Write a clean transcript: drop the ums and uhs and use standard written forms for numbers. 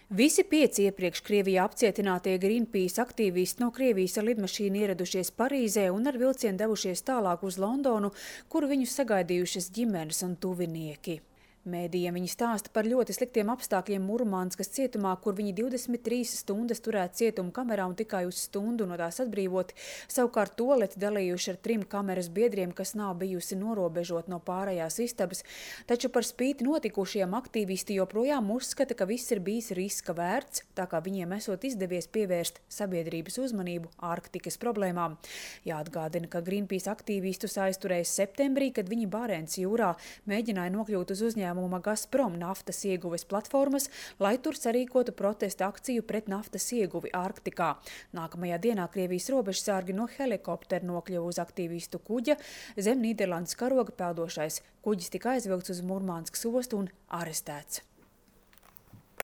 Visi 5 iepriekš Krievijā apcietinātie Greenpeace aktīvisti no Krievijas ar lidmašīnu ieradušies Parīzē un ar vilcienu devušies tālāk uz Londonu, kur viņus sagaidījušas ģimenes un tuvinieki. Mēdījiem viņi stāsta par ļoti sliktiem apstākļiem Murmanskas cietumā, kur viņi 23 stundas turēti cietuma kamerā un tikai uz stundu no tās atbrīvoti. Savukārt tualeti dalījuši ar 3 kameras biedriem, kas nav bijusi norobežot no pārējās istabas. Taču par spīti notikušajiem aktīvisti joprojām uzskata, ka viss ir bijis riska vērts, tā kā viņiem esot izdevies pievērst sabiedrības uzmanību Ārktikas problēmām. Jāatgādina, ka Greenpeace aktīvistus aizturēja septembrī, kad viņi Barents jūrā mēģināja nokļūt uz uzņēmumu Gazprom naftas ieguves platformas, lai tur sarīkotu protesta akciju pret naftas ieguvi Ārktikā. Nākamajā dienā Krievijas robežsargi no helikoptera nokļuva uz aktīvistu kuģa. Zem Nīderlandes karoga peldošais kuģis tika aizvilkts uz Murmanskas ostu un arestēts.